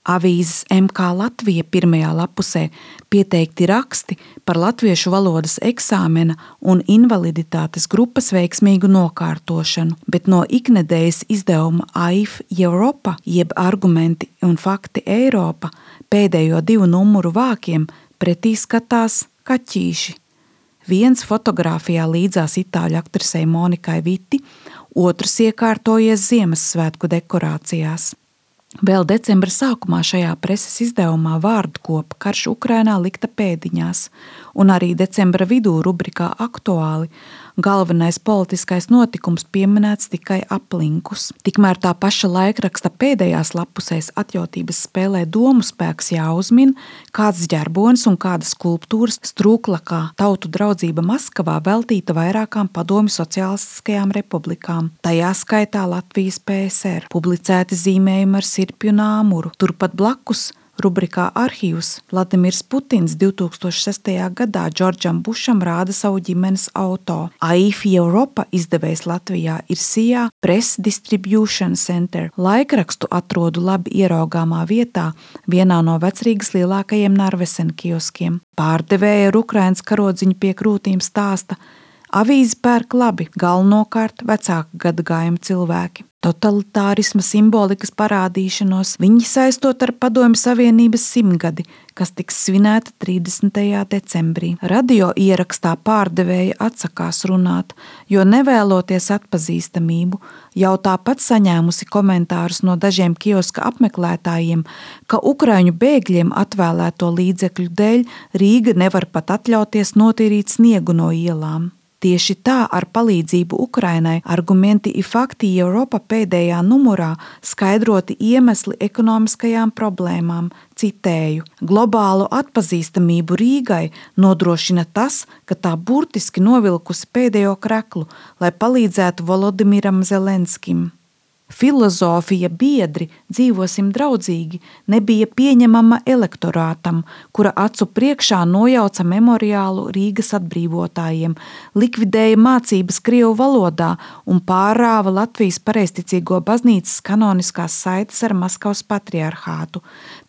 Avīzes MK Latvija pirmajā lapusē pieteikti raksti par latviešu valodas eksāmena un invaliditātes grupas veiksmīgu nokārtošanu, bet no iknedēļas izdevuma AIF Europa jeb Argumenti un fakti Eiropa pēdējo 2 numuru vākiem pretī skatās kaķīši. Viens fotogrāfijā līdzās itāļu aktrisei Monikai Viti, otrs iekārtojies Ziemassvētku dekorācijās. Vēl decembra sākumā šajā preses izdevumā vārdkopa Karš Ukrainā likta pēdiņās, un arī decembra vidū rubrikā Aktuāli galvenais politiskais notikums pieminēts tikai aplinkus. Tikmēr tā paša laikraksta pēdējās lapusēs atjautības spēlē domu spēks jāuzmin, kāds ģerbonis un kādas skulptūras Strūklakā Tautu draudzība Maskavā veltīta vairākām padomju sociālistiskajām republikām, tajā skaitā Latvijas PSR, publicēti zīmējumi ar sirpju un āmuru. Turpat blakus rubrikā Arhīvs Vladimirs Putins 2006. gadā Džordžam Bušam rāda savu ģimenes auto. AIF Europa izdevējs Latvijā ir SIA Press Distribution Center. Laikrakstu atrodu labi ieraugāmā vietā vienā no Vecrīgas lielākajiem Narvesen kioskiem. Pārdevēja ar Ukrainas karodziņu pie krūtīm stāsta: avīzi pērk labi, galvenokārt vecāka gadagājuma cilvēki. Totalitārisma simbolikas parādīšanos viņi saistot ar Padomju Savienības 100-gadi, kas tiks svinēta 30. decembrī. Radio ierakstā pārdevēja atsakās runāt, jo nevēloties atpazīstamību, jau tāpat saņēmusi komentārus no dažiem kioska apmeklētājiem, ka ukraiņu bēgļiem atvēlēto līdzekļu dēļ Rīga nevar pat atļauties notīrīt sniegu no ielām. Tieši tā ar palīdzību Ukrainai Argumenti un fakti Eiropa pēdējā numurā skaidroti iemesli ekonomiskajām problēmām. Citēju: globālu atpazīstamību Rīgai nodrošina tas, ka tā burtiski novilkusi pēdējo kreklu, lai palīdzētu Volodimiram Zelenskim. Filozofija biedri dzīvosim draudzīgi nebija pieņemama elektorātam, kura acu priekšā nojauca memoriālu Rīgas atbrīvotājiem, likvidēja mācības krievu valodā un pārrāva Latvijas pareizticīgo baznīcas kanoniskās saites ar Maskavas patriarhātu.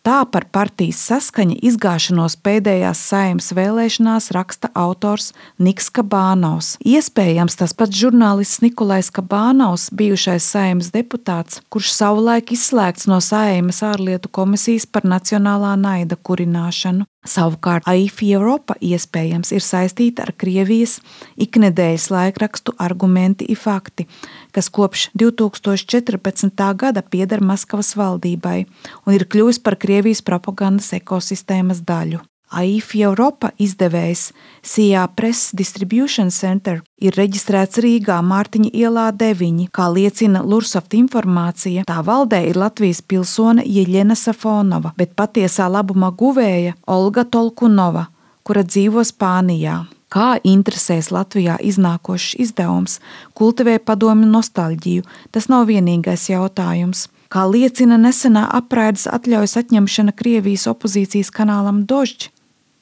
Tā par partijas saskaņa izgāšanos pēdējās Saeimas vēlēšanās raksta autors Niks Kabānovs. Iespējams, tas pats žurnālists Nikolais Kabānovs, bijušais Saeimas deputāts, kurš savulaik izslēgts no Saeimas ārlietu komisijas par nacionālā naida kurināšanu. Savukārt AIF Europa iespējams ir saistīta ar Krievijas iknedēļas laikrakstu Argumenti un fakti, kas kopš 2014. gada pieder Maskavas valdībai un ir kļuvis par Krievijas propagandas ekosistēmas daļu. AIF Europa izdevējs SIA Press Distribution Center ir reģistrēts Rīgā Mārtiņa ielā 9, kā liecina Lursoft informācija. Tā valdē ir Latvijas pilsone Jeļena Safonova, bet patiesā labuma guvēja Olga Tolkunova, kura dzīvo Spānijā. Kā interesēs Latvijā iznākošs izdevums kultivē padomju nostalģiju, tas nav vienīgais jautājums. Kā liecina nesenā apraides atļaujas atņemšana Krievijas opozīcijas kanālam Dožd,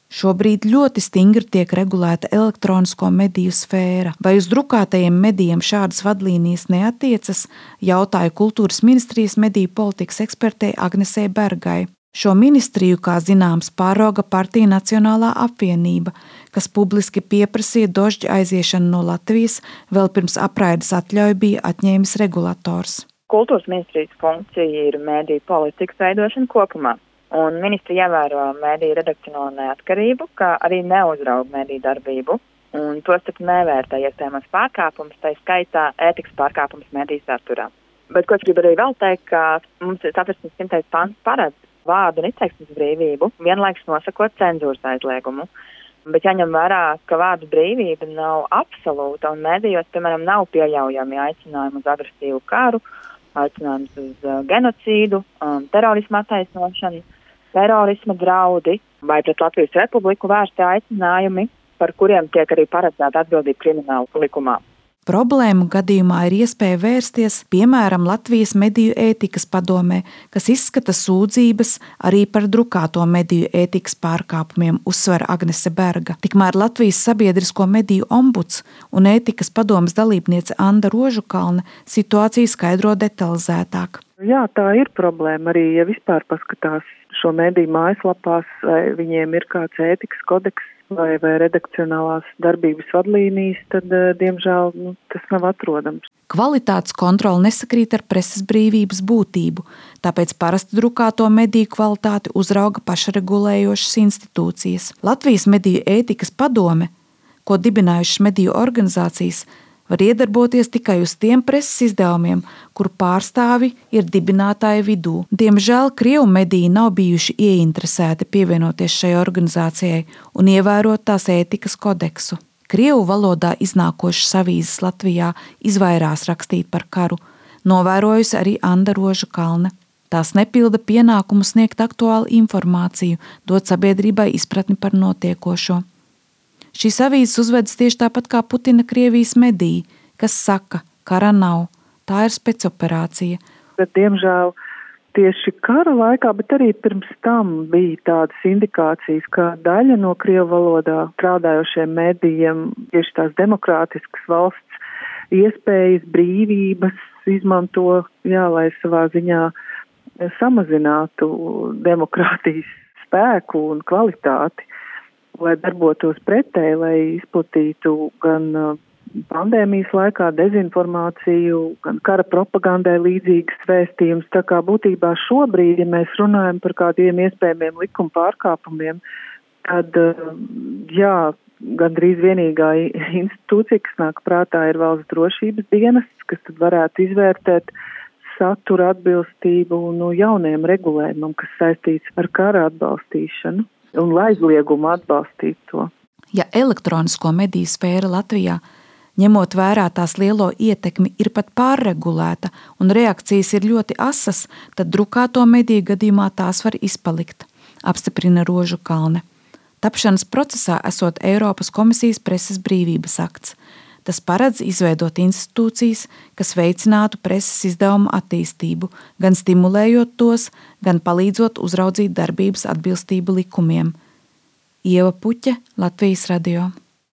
šobrīd ļoti stingri tiek regulēta elektronisko mediju sfēra. Vai uz drukātajiem medijiem šādas vadlīnijas neatiecas, jautāja Kultūras ministrijas mediju politikas ekspertei Agnesei Bergai. Šo ministriju, kā zināms, pārauga partija Nacionālā apvienība, kas publiski pieprasīja Dožd aiziešanu no Latvijas, vēl pirms apraides atļauju bija atņēmis regulators. Kultūras ministrijas funkcija ir mediju politikas veidošana kopumā. Un ministri ievēro mediju redakcionālo neatkarību, kā arī neuzrauga mediju darbību, un tostarp nevērtē iespējamos pārkāpumus, tā skaitā ētikas pārkāpumus mediju saturā. Bet ko es gribu arī vēl teikt, ka mums Satversmes 100. pants paredz vārdu un izteiksmes brīvību, vienlaikus nosakot cenzūras aizliegumu. Bet jāņem vērā, ka vārdu brīvība nav absolūta un medijos, piemēram, nav pieļaujami aicinājumi uz agresīvu karu, aicinājums uz genocīdu, terorisma attaisnošanu, terorisma draudi vai pret Latvijas Republiku vērsti aicinājumi, par kuriem tiek arī paredzēta atbildība krimināla likumā. Problēmu gadījumā ir iespēja vērsties, piemēram, Latvijas mediju ētikas padomē, kas izskata sūdzības arī par drukāto mediju ētikas pārkāpumiem, uzsver Agnese Berga. Tikmēr Latvijas sabiedrisko mediju ombuds un ētikas padomes dalībniece Anda Rožukalne situāciju skaidro detalizētāk. Jā, tā ir problēma arī, ja vispār paskatās šo mediju mājaslapās, vai viņiem ir kāds ētikas kodeks vai redakcionālās darbības vadlīnijas, tad, diemžēl, tas nav atrodams. Kvalitātes kontrole nesakrīt ar preses brīvības būtību, tāpēc parasti drukāto mediju kvalitāti uzrauga pašregulējošas institūcijas. Latvijas mediju ētikas padome, ko dibinājušas mediju organizācijas, var iedarboties tikai uz tiem preses izdevumiem, kuru pārstāvi ir dibinātāju vidū. Diemžēl Krievu mediji nav bijuši ieinteresēti pievienoties šai organizācijai un ievērot tās ētikas kodeksu. Krievu valodā iznākošas avīzes Latvijā izvairās rakstīt par karu, novērojusi arī Anda Roža-Kalne. Tās nepilda pienākumu sniegt aktuālu informāciju, dot sabiedrībai izpratni par notiekošo. Šīs avīzes uzvedas tieši tāpat kā Putina Krievijas mediji, kas saka, kara nav, tā ir specioperācija. Bet, diemžēl, tieši kara laikā, bet arī pirms tam bija tādas indikācijas, ka daļa no Krievu valodā strādājošiem medijiem, tieši tās demokrātiskas valsts iespējas, brīvības izmanto, lai savā ziņā samazinātu demokrātijas spēku un kvalitāti, lai darbotos pretēji, lai izplatītu gan pandēmijas laikā dezinformāciju, gan kara propagandai līdzīgas vēstījumus. Tā kā būtībā šobrīd, ja mēs runājam par kādiem iespējamiem likuma pārkāpumiem, tad, gandrīz vienīgā institūcija, kas nāk prātā, ir Valsts drošības dienests, kas tad varētu izvērtēt satura atbilstību jauniem regulējumam, kas saistīts ar kara atbalstīšanu un aizliegumu atbalstīt to. Ja elektronisko mediju sfēra Latvijā, ņemot vērā tās lielo ietekmi, ir pat pārregulēta un reakcijas ir ļoti asas, tad drukāto mediju gadījumā tās var izpalikt, apstiprina Roža-Kalne. Tapšanas procesā esot Eiropas komisijas preses brīvības akts. Tas paredz izveidot institūcijas, kas veicinātu preses izdevumu attīstību, gan stimulējot tos, gan palīdzot uzraudzīt darbības atbilstību likumiem. Ieva Puķe, Latvijas radio.